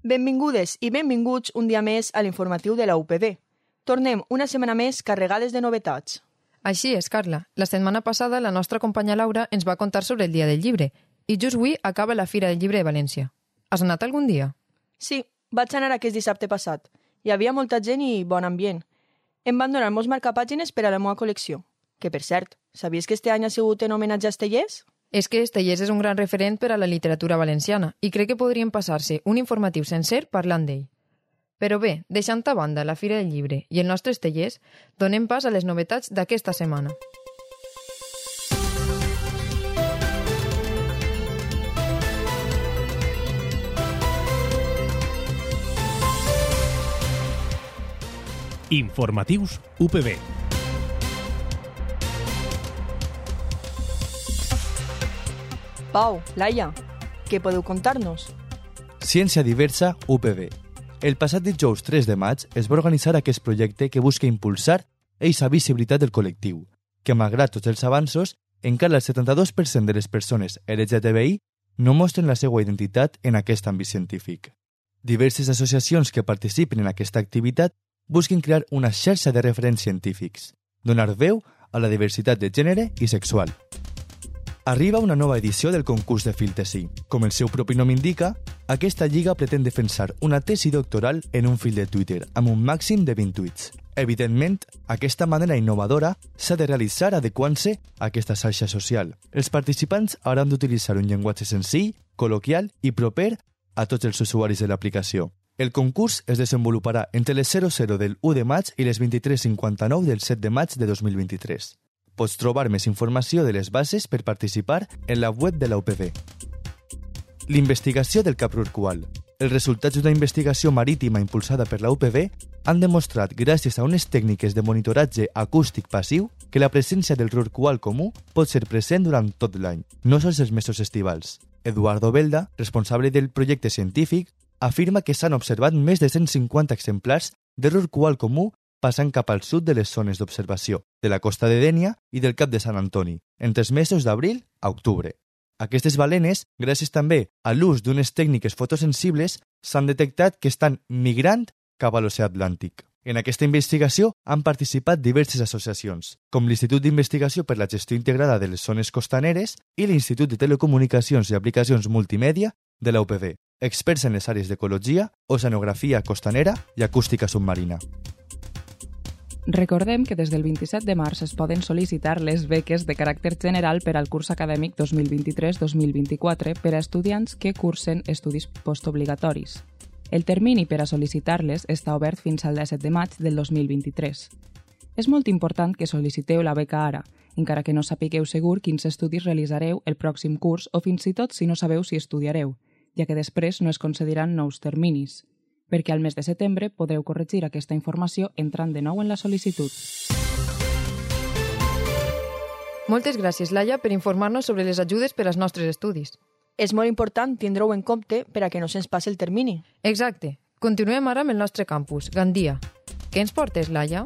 Benvingudes i benvinguts un dia més a l'informatiu de la UPB. Tornem una setmana més carregades de novetats. Així és, Carla. La setmana passada la nostra companya Laura ens va contar sobre el Dia del Llibre i just avui acaba la Fira del Llibre de València. Has anat algun dia? Sí, vaig anar aquest dissabte passat. Hi havia molta gent i bon ambient. Em van donar molts marcapàgines per a la meva col·lecció. Que, per cert, sabies que este any ha sigut en homenatge a Estellés? És que Estellés és un gran referent per a la literatura valenciana i crec que podríem passar-se un informatiu sencer parlant d'ell. Però bé, deixant a banda la Fira del Llibre i el nostre Estellés, donem pas a les novetats d'aquesta setmana. Informatius UPB. Pau, Laia, què podeu contar-nos? Ciència Diversa UPB. El passat dijous 3 de maig es va organitzar aquest projecte que busca impulsar eixa visibilitat del col·lectiu, que malgrat tots els avanços, encara el 72% de les persones LGTBI no mostren la seva identitat en aquest àmbit científic. Diverses associacions que participen en aquesta activitat busquen crear una xarxa de referents científics, donar veu a la diversitat de gènere i sexual. Arriba una nova edició del concurs de Filtesi. Com el seu propi nom indica, aquesta lliga pretén defensar una tesi doctoral en un fil de Twitter amb un màxim de 20 tuits. Evidentment, aquesta manera innovadora s'ha de realitzar adequant-se a aquesta xarxa social. Els participants hauran d'utilitzar un llenguatge senzill, col·loquial i proper a tots els usuaris de l'aplicació. El concurs es desenvoluparà entre les 00 del 1 de maig i les 23:59 del 7 de maig de 2023. Pots trobar més informació de les bases per participar en la web de la UPB. L'investigació del cap rorqual. Els resultats d'una investigació marítima impulsada per la UPB han demostrat, gràcies a unes tècniques de monitoratge acústic passiu, que la presència del rorqual comú pot ser present durant tot l'any, no sols els mesos estivals. Eduardo Belda, responsable del projecte científic, afirma que s'han observat més de 150 exemplars de rorqual comú passant cap al sud de les zones d'observació, de la costa de Dénia i del Cap de Sant Antoni, entre els mesos d'abril a octubre. Aquestes balenes, gràcies també a l'ús d'unes tècniques fotosensibles, s'han detectat que estan migrant cap a l'oceà Atlàntic. En aquesta investigació han participat diverses associacions, com l'Institut d'Investigació per la Gestió Integrada de les Zones Costaneres i l'Institut de Telecomunicacions i Aplicacions Multimèdia de la UPB, experts en les àrees d'ecologia, oceanografia costanera i acústica submarina. Recordem que des del 27 de març es poden sol·licitar les beques de caràcter general per al curs acadèmic 2023-2024 per a estudiants que cursen estudis postobligatoris. El termini per a sol·licitar-les està obert fins al 17 de maig del 2023. És molt important que sol·liciteu la beca ara, encara que no sapigueu segur quins estudis realitzareu el pròxim curs o fins i tot si no sabeu si estudiareu, ja que després no es concediran nous terminis, perquè al mes de setembre podreu corregir aquesta informació entrant de nou en la sol·licitud. Moltes gràcies, Laia, per informar-nos sobre les ajudes per als nostres estudis. És molt important tindre-ho en compte per a que no se'ns passi el termini. Exacte. Continuem ara amb el nostre campus, Gandia. Què ens portes, Laia?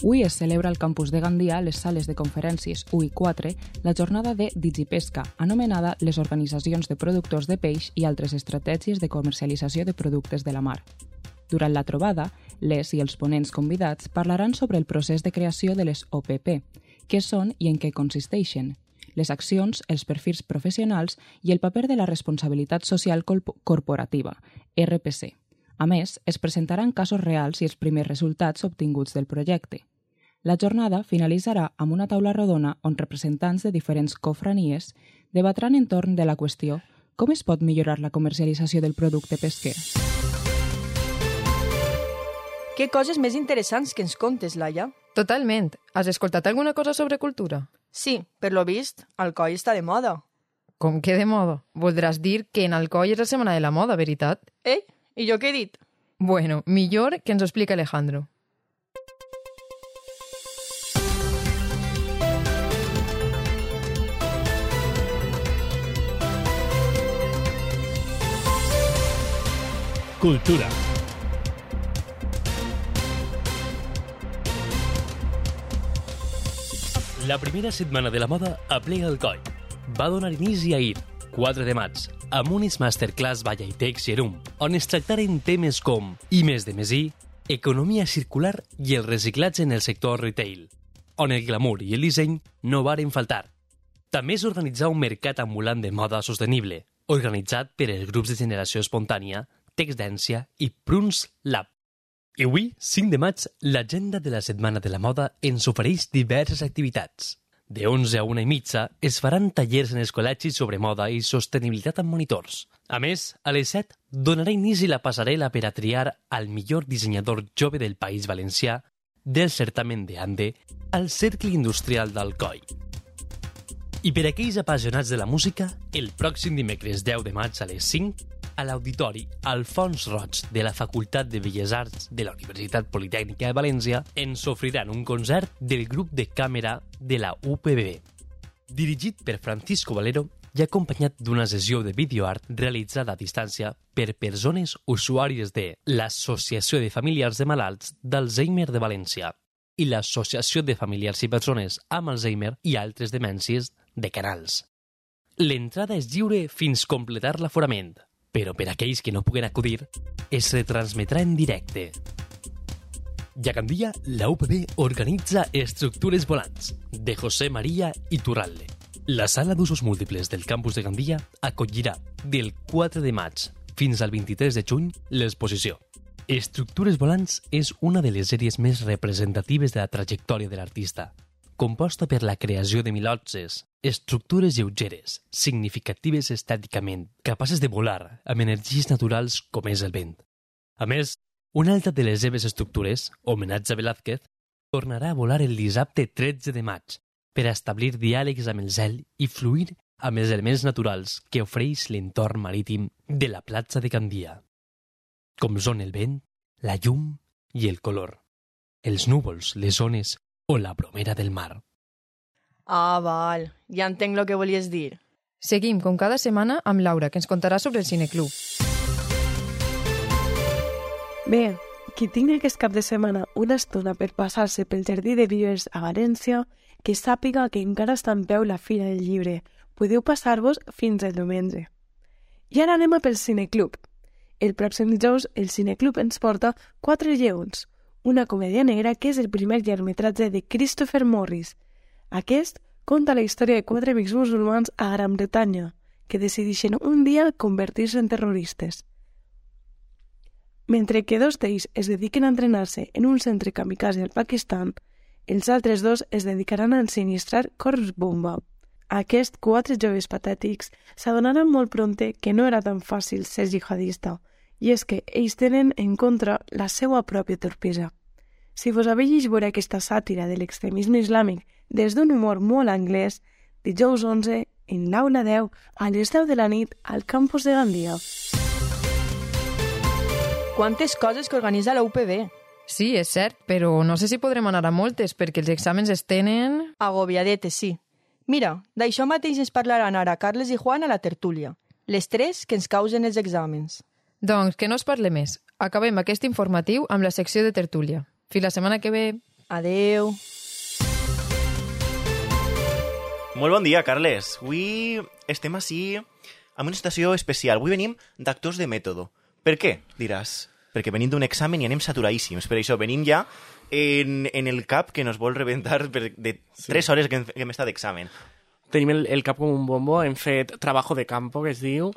Avui es celebra al campus de Gandia, a les sales de conferències 1 i 4, la jornada de Digipesca, anomenada les organitzacions de productors de peix i altres estratègies de comercialització de productes de la mar. Durant la trobada, les i els ponents convidats parlaran sobre el procés de creació de les OPP, què són i en què consisteixen, les accions, els perfils professionals i el paper de la responsabilitat social corporativa, RPC. A més, es presentaran casos reals i els primers resultats obtinguts del projecte. La jornada finalitzarà amb una taula rodona on representants de diferents cofranies debatran entorn de la qüestió com es pot millorar la comercialització del producte pesquer. Què coses més interessants que ens contes, Laia? Totalment. Has escoltat alguna cosa sobre cultura? Sí, per lo vist, Alcoi està de moda. Com que de moda? Voldràs dir que en Alcoi és la setmana de la moda, veritat? I jo què he dit? Bueno, millor que ens ho explica Alejandro. Cultura. La primera setmana de la moda aplega Alcoi. Va donar inici ahir, 4 de maig, amb unes masterclass Vallaitex Gerum, on es tractaren temes com I més de més I, economia circular i el reciclatge en el sector retail, on el glamour i el disseny no varen faltar. També es organitzà un mercat ambulant de moda sostenible, organitzat per els grups de generació espontània, Texdència i Pruns Lab. I avui, 5 de maig, l'agenda de la Setmana de la Moda ens ofereix diverses activitats. De 11 a 1:30 es faran tallers en els col·legis sobre moda i sostenibilitat amb monitors. A més, a les 7 donarà inici la passarel·la per a triar al millor dissenyador jove del País Valencià del certamen de Ande al Cercle Industrial d'Alcoi. I per aquells apassionats de la música, el pròxim dimecres 10 de maig a les 5, a l'Auditori Alfons Roig de la Facultat de Belles Arts de la Universitat Politècnica de València ens oferiran un concert del grup de càmera de la UPB, dirigit per Francisco Valero i acompanyat d'una sessió de videoart realitzada a distància per persones usuàries de l'Associació de Familiars de Malalts d'Alzheimer de València i l'Associació de Familiars i Persones amb Alzheimer i altres demències de Canals. L'entrada és lliure fins completar l'aforament, però per aquells que no puguen acudir, es retransmetrà en directe. I a Gandia, la UPB organitza Estructures Volants, de José María Iturralde. La sala d'usos múltiples del campus de Gandia acollirà del 4 de maig fins al 23 de juny l'exposició. Estructures Volants és una de les sèries més representatives de la trajectòria de l'artista, composta per la creació de milotses, estructures lleugeres, significatives estèticament, capaces de volar amb energies naturals com és el vent. A més, una altra de les seves estructures, homenatge a Velázquez, tornarà a volar el dissabte 13 de maig per a establir diàlegs amb el cel i fluir amb els elements naturals que ofereix l'entorn marítim de la platja de Gandia, com són el vent, la llum i el color, els núvols, les ones o la bromera del mar. Ah, val. Ja entenc el que volies dir. Seguim, com cada setmana, amb Laura, que ens contarà sobre el Cineclub. Bé, qui tingui aquest cap de setmana una estona per passar-se pel Jardí de Vives a València, que sàpiga que encara està en peu la Fira del Llibre. Podeu passar-vos fins al diumenge. I ara anem a pel Cineclub. El pròxim dijous, el Cineclub ens porta 4 lleons, una comèdia negra que és el primer llargmetratge de Christopher Morris. Aquest conta la història de 4 amics musulmans a Gran Bretanya, que decideixen un dia convertir-se en terroristes. Mentre que 2 d'ells es dediquen a entrenar-se en un centre kamikaze al Pakistan, els altres 2 es dedicaran a ensinistrar cors bomba. Aquests 4 joves patètics s'adonaran molt prompte que no era tan fàcil ser jihadista, i és que ells tenen en contra la seva pròpia torpesa. Si vos haveu llegit veure aquesta sàtira de l'extremisme islàmic des d'un humor molt anglès, dijous 11, en l'Aula 10, a les 10 de la nit, al campus de Gandia. Quantes coses que organitza la UPB. Sí, és cert, però no sé si podrem anar a moltes, perquè els exàmens es tenen... Agobiadetes, sí. Mira, d'això mateix ens parlaran ara Carles i Juan a la tertúlia. Les 3 que ens causen els exàmens. Doncs que no es parle més. Acabem aquest informatiu amb la secció de tertúlia. Fins la setmana que ve. Adeu. Molt bon dia, Carles. Avui estem ací amb una situació especial. Avui venim d'actors de mètode. Per què, diràs? Perquè venim d'un examen i anem saturadíssims. Per això venim ja en el cap que nos vol rebentar de 3 hores que hem estat d'examen. Tenim el cap com un bombo, hem fet trabajo de campo, que es diu,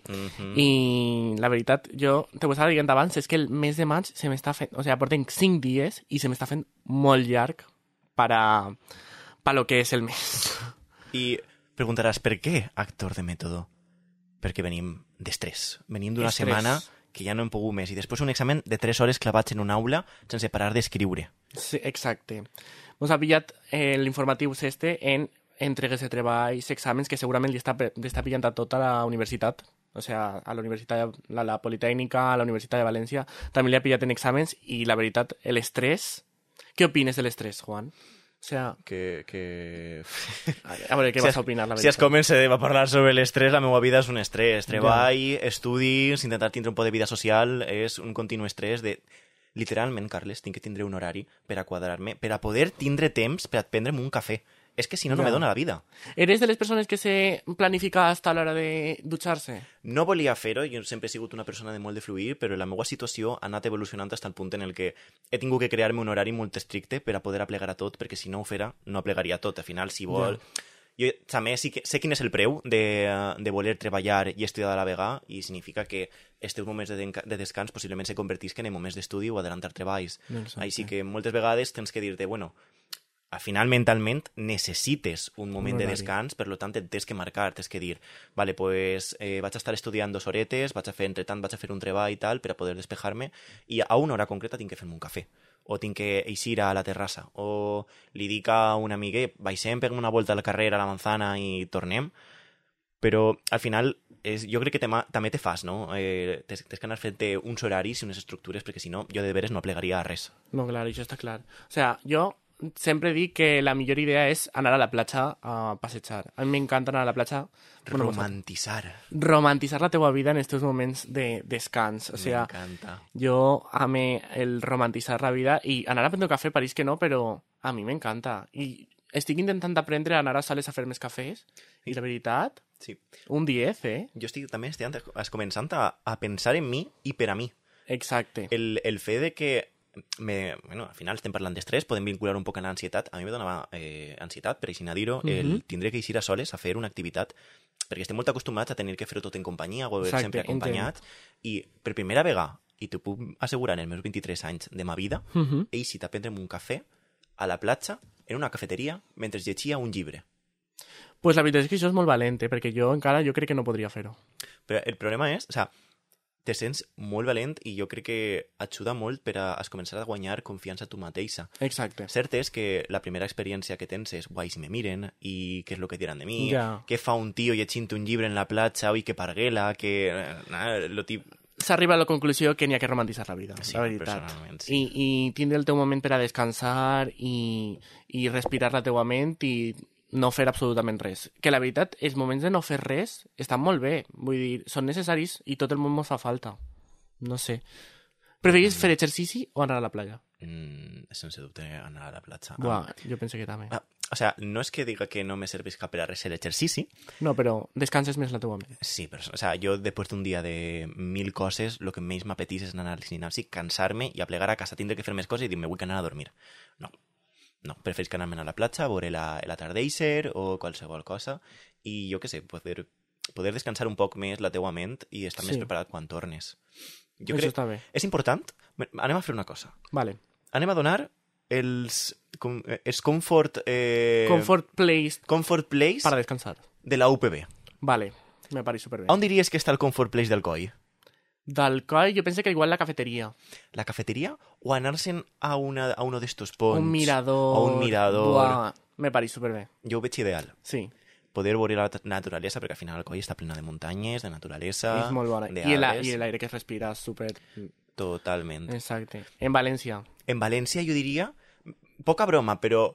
i la veritat, jo te ho estava dient abans, és que el mes de maig se m'està fent, o sigui, portem 5 dies i se m'està fent molt llarg per lo que és el mes. I preguntaràs, per què actor de mètode? Perquè venim d'estrès. Venim d'una setmana que ja no hem pogut més, i després un examen de 3 hores clavats en una aula sense parar d'escriure. Sí, exacte. Ens ha pillat l'informatiu en entregues de treballs, exàmens, que segurament li està pillant a tota la universitat, o sigui, a la Universitat, a la Politècnica, a la Universitat de València, també li ha pillat en exàmens, i la veritat, l'estrès... Què opines de l'estrès, Juan? O sea... A veure, què vas a opinar, la veritat? Si es comença a parlar sobre l'estrès, la meva vida és un estrès. Treball, estudis, intentar tindre un poc de vida social, és un continu estrès de... Literalment, Carles, tinc que tindre un horari per a quadrar-me, per a poder tindre temps per a prendre'm un cafè. és que si no, no me dona la vida. ¿Eres de les persones que se planifica hasta l'hora de dutxar-se? No volia fer-ho, jo sempre he sigut una persona de molt de fluir, però la meva situació ha anat evolucionant fins al punt en el que he tingut que crear-me un horari molt estricte per a poder aplegar a tot, perquè si no ho fera, no aplegaria tot. Al final, si vol... Jo també sé quin és el preu de voler treballar i estudiar a la vegada, i significa que els teus moments de descans possiblement se convertisquen en moments d'estudi o adelantar treballs. Així que moltes vegades tens que dir-te, bueno, al final mentalment necessites un moment de descans, per tant et tens que marcar, tens que dir, vale, pues vaig estar estudiant 2 horetes, entretant vaig a fer un treball i tal per a poder despejar-me, i a una hora concreta tinc que fer-me un cafè, o tinc que eixir a la terrassa, o li dic a un amic, baixem, peguem una volta al carrer, a la manzana i tornem, però al final jo crec que també te fas, no? Tens que anar fent-te uns horaris i unes estructures, perquè si no, jo de veres no aplegaria a res. No, clar, això està clar. O sea, jo sempre dic que la millor idea és anar a la platja a passejar. A mi m'encanta anar a la platja. Romantitzar. Romantitzar la teua vida en estos moments de descans. O sea, m'encanta. Jo ame el romantitzar la vida i anar a prendre cafè, pareix que no, però a mi m'encanta. I estic intentant aprendre a anar a sales a fer més cafès i la veritat, sí. Un 10, Jo també estic començant a pensar en mi i per a mi. Exacte. El fet de que al final estem parlant d'estrès, podem vincular un poc a l'ansietat. A mi me donava ansietat, per així dir-ho, el tindré que eixir a soles a fer una activitat, perquè estem molt acostumats a tenir que fer-ho tot en companyia o sempre acompanyats, i per primera vegada, i t'ho puc assegurar en els meus 23 anys de ma vida, he eixit a prendre'm un cafè a la platja, en una cafeteria, mentre llegia un llibre. Pues la veritat és que això és molt valent, perquè jo crec que no podria fer-ho. Però el problema és, te sents molt valent i jo crec que ajuda molt per a començar a guanyar confiança a tu mateixa. Exacte. Cert és que la primera experiència que tens és guai si me miren i què és el que diran de mi, què fa un tio llegint un llibre en la platja, oi, que parguela, que... S'arriba a la conclusió que n'hi ha que romantitzar la vida, sí, la veritat. Personalment, sí. I tindre el teu moment per a descansar i respirar la teua ment i no fer absolutament res. Que la veritat, els moments de no fer res estan molt bé. Vull dir, són necessaris i tot el món ens fa falta. No sé. Preferís fer exercici o anar a la platja? Sense dubte anar a la platja. Buah, jo penso que també. No és que diga que no me serveix cap per a res l'exercici. No, però descanses més la teua ment. Sí, però jo després d'un dia de 1000 coses, el que més m'apetís és anar al gimnàs, cansar-me i a plegar a casa, tindre que fer més coses i dir, me vull anar a dormir. No, preferís que anar-me'n a la platja, a veure l'atardeixer o qualsevol cosa, i jo què sé, poder descansar un poc més la teua ment i estar més preparat quan tornes. Jo crec, està bé. És important. Anem a fer una cosa. Vale. Anem a donar els comfort place para descansar de la UPB. Vale, me pareix superbé. On diries que està el comfort place del COI? Del COI jo penso que igual la cafeteria. La cafeteria? O anar-se'n a uno d'estos ponts? Un mirador. O un mirador. Buah, me pareix superbé. Jo ho veig ideal. Sí. Poder veure la naturalesa, perquè al final el COI està plena de muntanyes, de naturalesa, és molt bona. d'arbres. I l'aire que es respira super... Totalment. Exacte. En València. En València jo diria, poca broma, però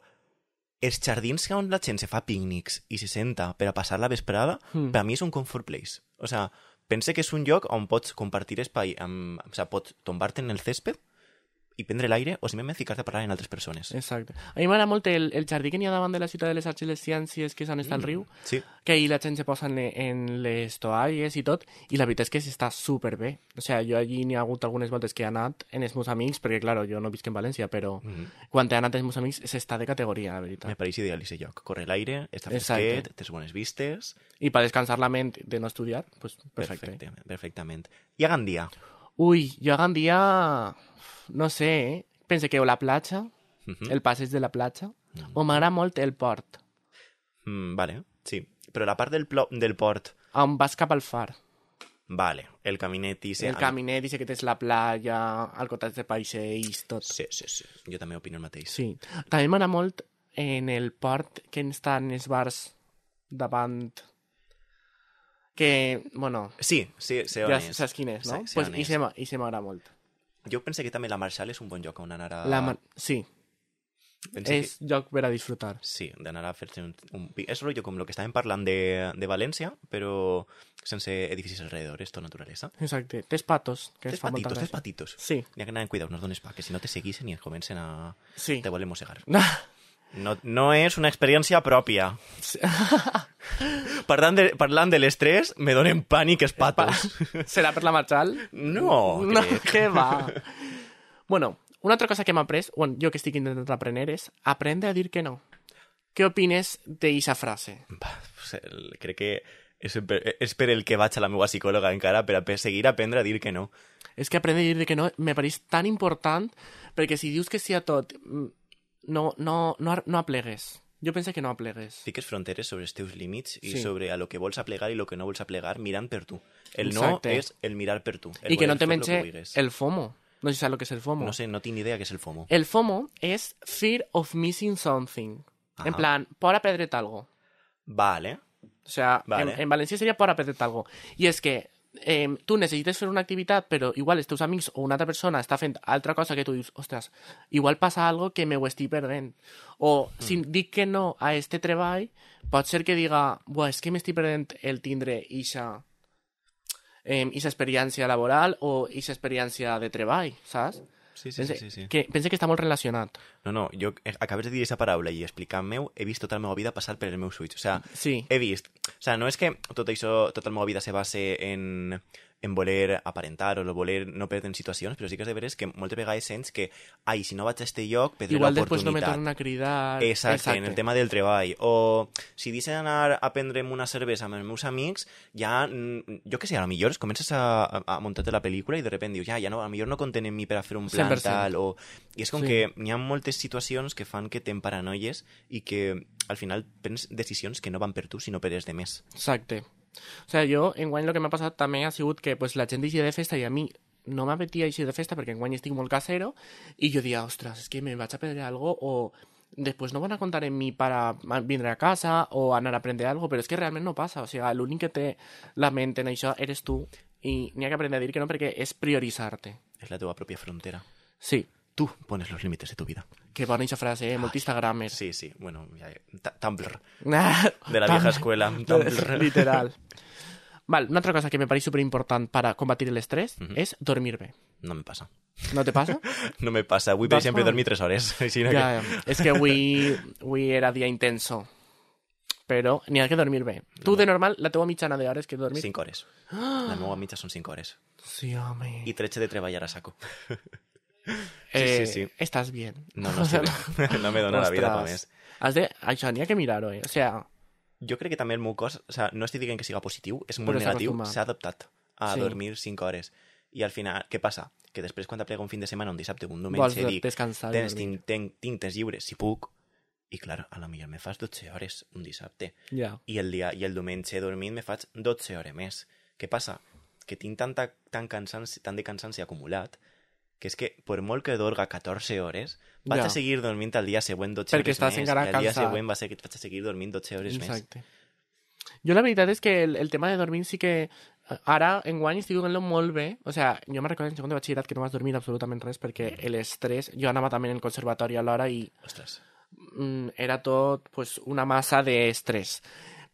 els jardins on la gent se fa pícnics i se senta per a passar la vesprada, per a mi és un comfort place. O sea, pense que és un lloc on pots compartir espai, pots tombar-te en el césped i prendre l'aire o simplement ficar-te a parlar amb altres persones. Exacte. A mi m'agrada molt el jardí que n'hi ha davant de la ciutat de les Arts i les Ciències, que és on està el riu, sí. Que ahir la gent se posa en les toalles i tot, i la veritat és que s'està superbé. O sigui, jo allí n'hi ha hagut algunes voltes que he anat en els meus amics, perquè, clar, jo no visc en València, però quan he anat amb els meus amics s'està de categoria, la veritat. Me pareix ideal aquest lloc. Corre l'aire, està fresquet, tens bones vistes... I per descansar la ment de no estudiar, pues perfecte. Perfectament. I a Gandia? Ui, jo a Gandia... No sé, pense que o la platja, el passeig de la platja, o m'agrada molt el port. Vale, sí. Però la part del port... On vas cap al far. Vale, el caminet i... El caminet i que tens la platja, al costat de paiseix, tot. Sí. Jo també opino el mateix. Sí. També m'agrada molt en el port que estan els bars davant... Que, bueno... Sí, sé on ja és. Saps quin és, no? Sí, Pues i se m'agrada molt. Jo penso que també la Marshall és un bon lloc on anar a... Sí. És lloc per a disfrutar. Sí, d'anar a fer-se un... És rotllo com el que estàvem parlant de València, però sense edificis alrededor, és tot naturalesa. Exacte. Tens patos, que es fa molta gràcia. Tens patitos. Sí. N'hi ha que anar en cuidado, no es dones pa, que si no te seguissin i et comencen a... Sí. Te volen mossegar. No és una experiència pròpia. Parlant de l'estrès, me donen pànic els patos. Serà per la Marchal? No, crec. Què va? Bueno, una altra cosa que m'ha après, bueno, jo que estic intentant aprendre, és aprendre a dir que no. Què opines d'eixa frase? Crec que és per el que vaig a la meva psicòloga encara, per a seguir aprendre a dir que no. És que aprendre a dir que no me pareix tan important, perquè si dius que sí a tot, no aplegues. Jo penso que no aplegues. Fiques fronteres sobre els teus límits i Sí. sobre a lo que vols aplegar i lo que no vols aplegar mirant per tu. El Exacte. no és el mirar per tu. I que no te voler fer lo menja que vulguis. el FOMO. No sé si saps el que és el FOMO. No sé, no tinc ni idea què és el FOMO. El FOMO és Fear of Missing Something. Ajá. En plan, por a perdre't algo. Vale. O sea, Vale. en valencià seria por a perdre't algo. I és que tu necessites fer una activitat, però igual els teus amics o una altra persona està fent altra cosa que tu dius, ostres, igual passa algo que me ho estic perdent. O si dic que no a este treball, pot ser que diga, buah, és que m'estic perdent el tindre ixa experiència laboral o ixa experiència de treball, saps? Sí. Pense que està molt relacionat. No, jo acabes de dir aquesta paraula i explicant-me-ho, he vist tota la meva vida passar per els meus ulls. O sea, Sí. he vist... O sea, no és que tot això, tota la meva vida se base en voler aparentar o voler no perdre en situacions, però sí que és de veres que moltes vegades sents que ai, si no vaig a este lloc, perdré Igual l'oportunitat. després no me tornen a cridar. Exacte, en el tema del treball. O si deixen anar a prendre'm una cervesa amb els meus amics, ja, jo què sé, a lo millor comences a muntar-te la pel·lícula i de repente dius, ja no, a lo millor no compten en mi per a fer un plan 100%. tal, o... I és com Sí. que hi ha moltes situacions que fan que t'emparanoies i que al final prens decisions que no van per tu, sinó per els demés. Exacte. O sea, jo, enguany, el que m'ha passat també ha sigut que pues, la gent deixia de festa i a mi no m'apetia eixir de festa perquè enguany estic molt casero i jo dia, ostres, és que me vaig a perdre algo o després no van a contar en mi para vindre a casa o anar a aprendre algo, però és que realment no passa. O sigui, l'únic que té la ment en això eres tu i n'hi ha que aprendre a dir que no perquè és prioritzar-te. És la teva pròpia frontera. Sí. Tu pones los límites de tu vida. Que bona eixa frase, molt Instagramer. Sí, bueno, ja, Tumblr. De la vieja escuela, Tumblr. Literal. Val, una altra cosa que me pareix superimportant para combatir el estrès és dormir bé. No me passa. No te passa? No me passa. Avui, per exemple, dormir 3 hores. Així que... Ja, és que avui era dia intenso. Però n'hi ha que dormir bé. Tu, de normal, la teva mitjana d'hores que dormir... 5 hores. La meva mitja són 5 hores. Sí, home. I 13 de treballar a saco. Sí. Estàs bien. No estic bé. No me dona la vida per més. Això n'hi ha que mirar-ho, O sea... Jo crec que també el meu cos... O sea, no estic dient que siga positiu, és molt Però s'ha negatiu. acostumat. S'ha adaptat a Sí. dormir 5 hores. I al final, què passa? Que després, quan t'aplega un fin de setmana, un dissabte, un Vols diumenge, dic, descansar i dormir. tinc temps lliures, si puc. I, clar, a la millor me fas 12 hores un dissabte. Ja. I el diumenge dormint me faig 12 hores més. Què passa? Que tinc tant de cansanci acumulat que és que, per molt que dorga 14 hores, vaig Ja. a seguir dormint el dia següent 12 Perquè hores estàs més, encara i el dia cansat. següent vaig a seguir dormint 12 hores més. Exacte. Jo la veritat és que el tema de dormir sí que... Ara, enguany, estic donant-lo molt bé. O sea, jo me recordo en segon de batxillerat que no vas dormir absolutament res perquè l'estrès... Jo anava també en el conservatori alhora i Ostres. era tot pues, una massa d'estrès.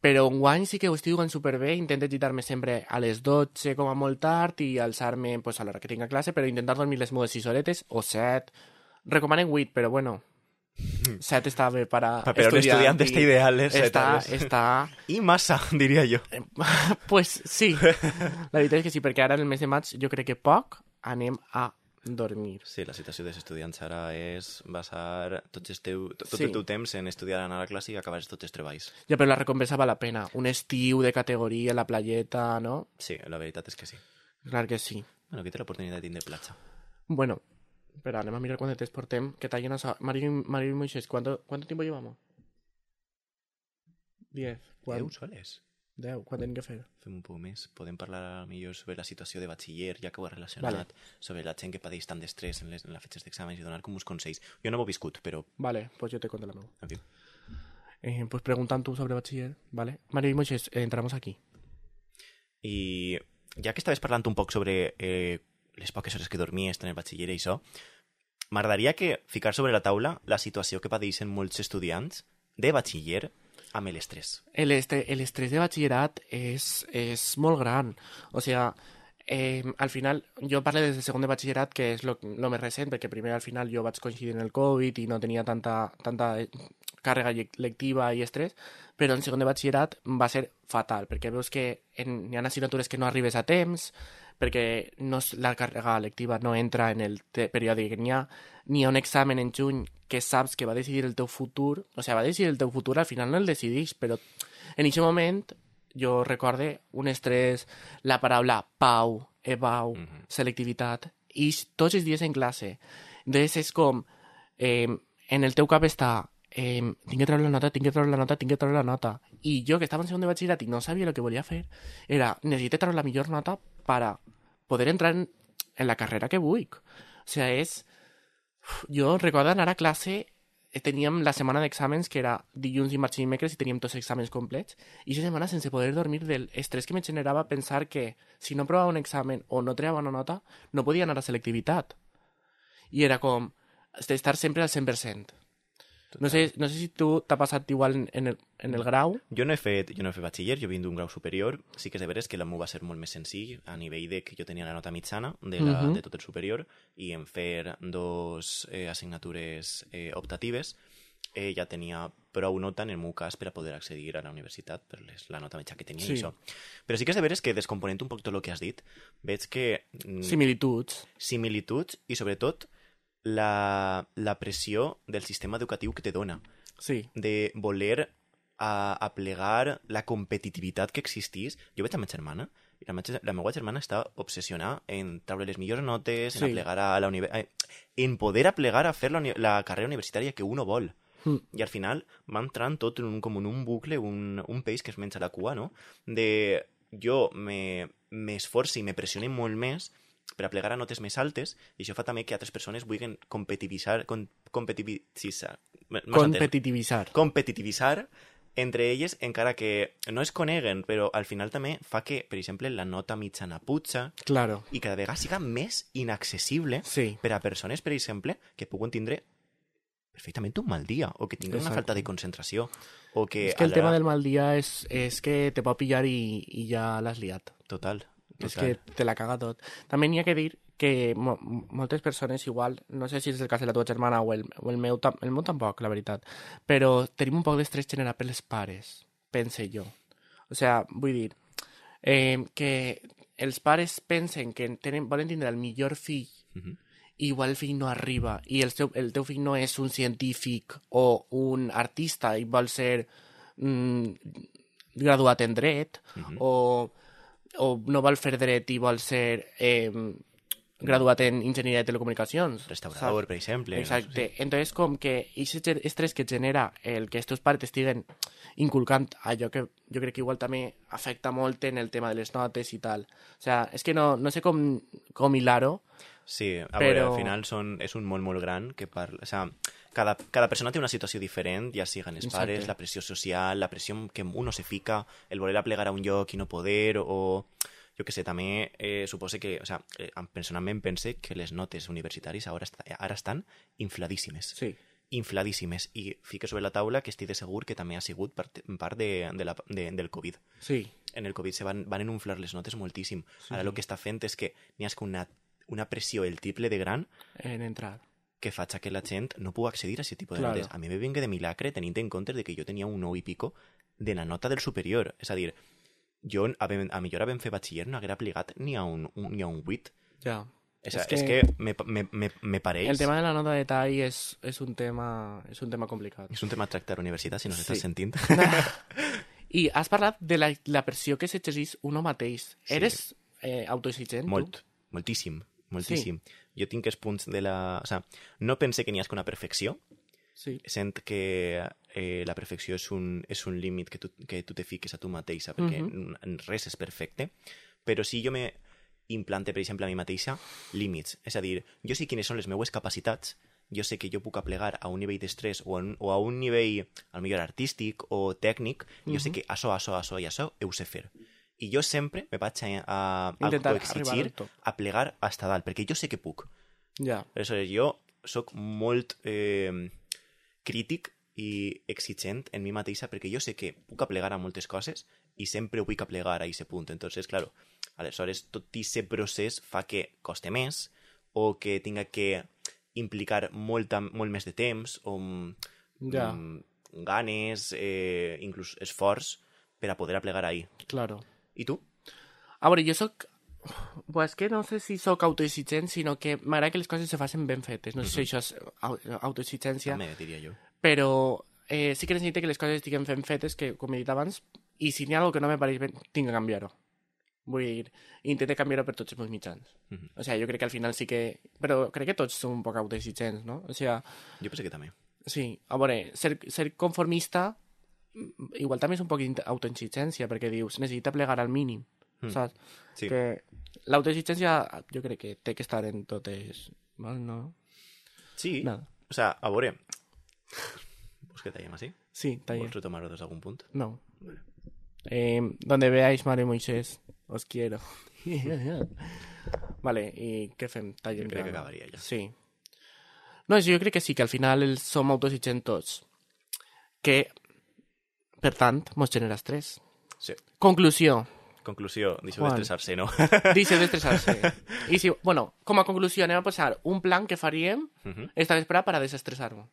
Però enguany sí que ho estic jugant superbé, intento gitar-me sempre a les 12 com a molt tard i alçar-me pues, a l'hora que tinc classe, però intentar dormir les meves 6 horetes o 7. Recomanen 8, però bueno, 7 està bé per a Però un estudiant està ideal, 7 hores. Està... I massa, diria jo. Pues sí, la veritat és que sí, perquè ara en el mes de maig jo crec que poc anem a dormir. Sí, la situació dels estudiants ara és basar tot el Sí. teu temps en estudiar, anar a classe i acabar tots els treballs. Ja, però la recompensa val la pena. Un estiu de categoria, la playeta, no? Sí, la veritat és que sí. Clar que sí. Bueno, aquí té l'oportunitat de tindre platja. Bueno, espera, anem a mirar cuánto te portem. Que tallen a... Mario y Moisés, ¿cuánto tiempo llevamos? 10. 10 soles. 10, ¿cuánto tenim que fer? Fem un poc més. Podem parlar millor sobre la situació de batxiller, ja que ho has relacionat, Vale. sobre la gent que pateix tant d'estrès en les fetges d'exàmens i donar com uns consells. Jo no ho he viscut, però... Vale, pues yo te cuento la meva. En fi. Pues preguntan tú sobre bachiller, ¿vale? Mario y Moisés, entramos aquí. I ja que estaves parlant un poc sobre les poques hores que dormies en el batxiller i això, m'agradaria que ficar sobre la taula la situació que pateixen molts estudiants de batxiller amb l'estrès. El estrés de batxillerat és molt gran. O sea, al final, jo parlo des del segon de batxillerat, que és lo més recent, perquè primer al final jo vaig coincidir en el Covid i no tenia tanta càrrega lectiva i estrès, però en segon de batxillerat va ser fatal, perquè veus que hi ha assignatures que no arribes a temps, perquè la càrrega lectiva no entra en el període que n'hi ha un examen en juny que saps que va decidir el teu futur, o sigui, va decidir el teu futur, al final no el decidix, però en aquest moment jo recorde un estrès, la paraula pau, evau, selectivitat, i tots els dies en classe. Llavors és com, en el teu cap està, tinc que treure la nota, tinc que treure la nota, tinc que treure la nota. I jo, que estava en segon de batxillerat i no sabia el que volia fer, era, necessito treure la millor nota per poder entrar en la carrera que vull. O sigui, jo recordo anar a classe, teníem la setmana d'exàmens, que era dilluns, dimarts i dimecres, i teníem tots els exàmens complets, i aquesta setmana sense poder dormir del estrès que me generava pensar que si no provava un examen o no treava una nota, no podia anar a selectivitat. I era com estar sempre al 100%. No sé si tu t'ha passat igual en el grau. Jo no he fet batxiller, jo vinc d'un grau superior. Sí que és de veres que el meu va ser molt més senzill a nivell de que jo tenia la nota mitjana de tot el superior, i en fer 2 assignatures optatives ja tenia prou nota en el meu cas per a poder accedir a la universitat per la nota mitjana que tenia. Sí. I això. Però sí que és de veres que, descomponent un poc tot el que has dit, veig que Similituds i sobretot la pressió del sistema educatiu que te dona. Sí. De voler aplegar la competitivitat que existís. Jo veig a ma germana, i la meva germana està obsessionada en treure les millors notes, en aplegar a la en poder aplegar a fer la carrera universitària que uno vol. I al final va entrant tot com en un bucle, un peix que es menja la cua, no? De jo m'esforci i me pressione molt més per a plegar a notes més altes, i això fa també que altres persones vulguin competitivitzar entre elles, encara que no es coneguen, però al final també fa que, per exemple, la nota mitjana puja, claro, i cada vegada siga més inaccessible per a persones, per exemple, que puguen tindre perfectament un mal dia, o que tinguen una falta de concentració, o que... És que el tema del mal dia és que te pot pillar i ja l'has liat. Total. És que te la caga tot. També n'hi ha que dir que moltes persones igual, no sé si és el cas de la teva germana o el meu tampoc, la veritat, però tenim un poc d'estrès generat per les pares, pense jo. O sigui, vull dir, que els pares pensen que volen tindre el millor fill, i igual el fill no arriba, i el teu fill no és un científic o un artista i vol ser graduat en dret, o no vol fer dret i vol ser graduat en enginyeria de telecomunicacions. Restaurador, per exemple. Exacte. No sé. Entonces, com que aquest estrès que genera el que els teus pares estiguen inculcant allò que jo crec que igual també afecta molt en el tema de les notes i tal. O sea, és que no sé com hilar-ho. Sí, veure, al final és un món molt gran que parla... O sea, cada persona té una situació diferent, ja siguen els pares, la pressió social, la pressió que uno se fica, el voler aplegar a un lloc i no poder, o... Jo que sé, també suposo que... O sea, personalment pense que les notes universitàries ara estan infladíssimes. Sí. Infladíssimes. I fique sobre la taula que estic de segur que també ha sigut part del Covid. Sí. En el Covid se van inflar les notes moltíssim. Sí. Ara el que està fent és que n'hi ha una pressió el triple de gran en entrar, que faig que la gent no pugui accedir a aquest tipus de notes. A mi me vinga de milagre tenint en compte de que jo tenia un 9 i pico de la nota del superior. És a dir, jo a millor havent fet batxiller no haguera aplicat ni a un 8. Ja. És que me pareix... El tema de la nota de tall és un tema complicat. És un tema a tractar a la universitat, si no s'estàs sentint. I has parlat de la pressió que s'exerceix uno mateix. Sí. Eres autoexigent, tu? Moltíssim. Sí. Jo tinc els punts de la... O sea, no pense que n'hi hagi una perfecció. Sí. Sent que la perfecció és un límit que tu te fiques a tu mateixa, perquè res és perfecte. Però si jo me implante, per exemple, a mi mateixa, límits. És a dir, jo sé quines són les meues capacitats, jo sé que jo puc aplegar a un nivell d'estrès o a un nivell, al millor artístic o tècnic, jo sé que això i això ho sé fer. I jo sempre me vaig a autoexigir a plegar hasta dalt, perquè jo sé que puc. Ja. Aleshores, jo soc molt crític i exigent en mi mateixa, perquè jo sé que puc aplegar a moltes coses i sempre vull aplegar a aquest punt. Entonces, claro, Aleshores, tot aquest procés fa que costi més o que tinga que implicar molt més de temps o ganes, inclús esforç per a poder aplegar ahí. Claro. I tu? A veure, jo soc... Pues que no sé si sóc autoexigent, sinó que m'agrada que les coses se facin ben fetes. No sé si això és autoexigència. També, diria jo. Però sí que necessito que les coses estiguen ben fetes, que, com he dit abans, i si n'hi ha alguna que no me pareix bé, tinc que canviar-ho. Vull dir, intento canviar-ho per tots els meus mitjans. O sigui, jo crec que al final sí que... Però crec que tots som un poc autoexigents, no? O sigui... Jo penso que també. Sí, a veure, ser conformista igual també és un poc d'autoexigència, perquè dius, necessita plegar al mínim, saps? Sí. Que l'autoexigència jo crec que té que estar en totes... No? Sí, Nada. o sea, a veure... ¿Vols que tallem així? Sí, tallem. ¿Vols retomar-ho des d'algun punt? No. Donde veáis, Madre Moisés, os quiero. Vale, i què fem? Tallem. Jo crec que acabaria ja. Sí. No, jo crec que sí, que al final som autoexigents tots. Que, per tant, mos genera estrès. Sí. Conclusió. Conclusió, deixeu d'estressar-se, no? Deixeu d'estressar-se. I si, bueno, com a conclusió anem a posar un plan que faríem esta vesprada per a desestressar-ho.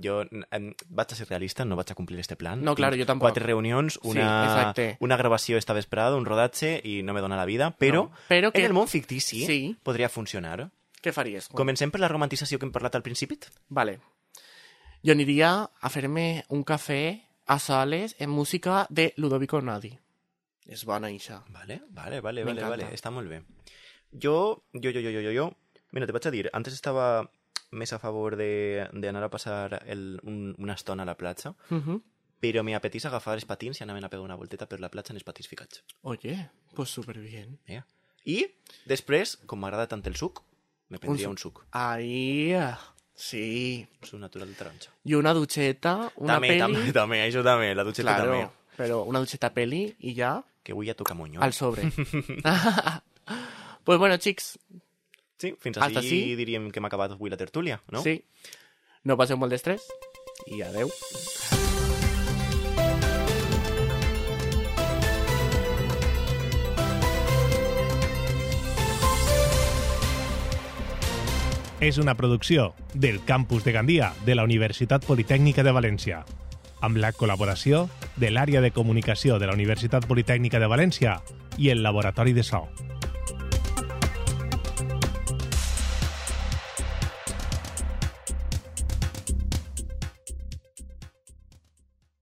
Jo vaig a ser realista, no vaig a complir este plan. No, claro, jo tampoc. 4 reunions, exacte. una gravació esta vesprada, un rodatge, i no me dona la vida, però, però que... en el món fictici Sí. podria funcionar. Què faries? Comencem per la romantització que hem parlat al principi. Vale. Jo aniria a fer-me un cafè a soles en música de Ludovico Einaudi. És bona, això. Vale. M'encanta. Està molt bé. Jo... Mira, te vaig a dir, antes estava més a favor d'anar a passar una estona a la platja, però me apetís agafar els patins i anar a pegar una volteta per la platja en els patins ficats. Oye, pues superbién. I després, com m'agrada tant el suc, me prendria un suc. Ahí, sí. Suc natural de taronja. I una dutxeta, una peli... També, això també, la dutxeta claro, també. Però una dutxeta peli i ja... Que avui ja toca moño. Al sobre. Pues bueno, xics. Sí, fins Hasta així sí. diríem que hem acabat avui la tertúlia, no? Sí. No passeu molt d'estrès i adeu. És una producció del Campus de Gandia de la Universitat Politècnica de València, amb la col·laboració de l'àrea de comunicació de la Universitat Politècnica de València i el Laboratori de So.